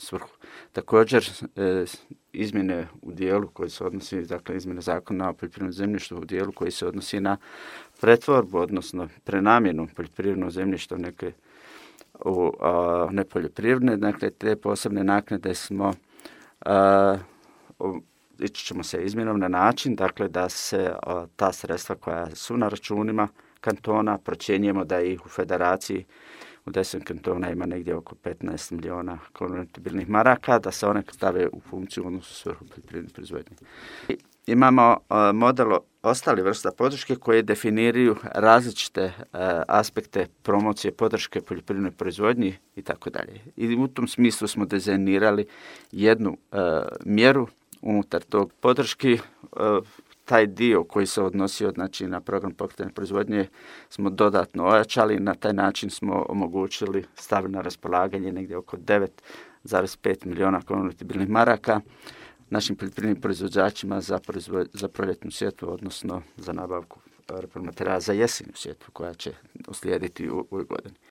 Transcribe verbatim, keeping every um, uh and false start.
svrhu. Također, e, izmjene u dijelu koji se odnosi, dakle izmjene zakona o poljoprivrednom zemljištu u dijelu koji se odnosi na pretvorbu, odnosno prenamjenu poljoprivrednog zemljišta u neke u a, nepoljoprivredne, dakle te posebne naknade smo a, u, ići ćemo se izmjenom na način dakle da se a, ta sredstva koja su na računima kantona procjenjujemo da ih u federaciji u deset kantona ima negdje oko petnaest milijuna konvertibilnih maraka, da se one stave u funkciju odnosno svrhu poljoprivredne proizvodnje. Imamo a, model ostali vrsta podrške koje definiraju različite a, aspekte promocije podrške poljoprivrednoj proizvodnji i tako dalje. I u tom smislu smo dizajnirali jednu a, mjeru unutar tog podrški. A, taj dio koji se odnosio znači, na program pokretanja proizvodnje smo dodatno ojačali. Na taj način smo omogućili, stavili na raspolaganje negdje oko devet zarez pet milijuna konvertibilnih maraka našim poljoprivrednim proizvođačima za, proizvod, za proljetnu sjetvu, odnosno za nabavku repromaterijala za jesenju sjetvu koja će uslijediti u ovoj godini.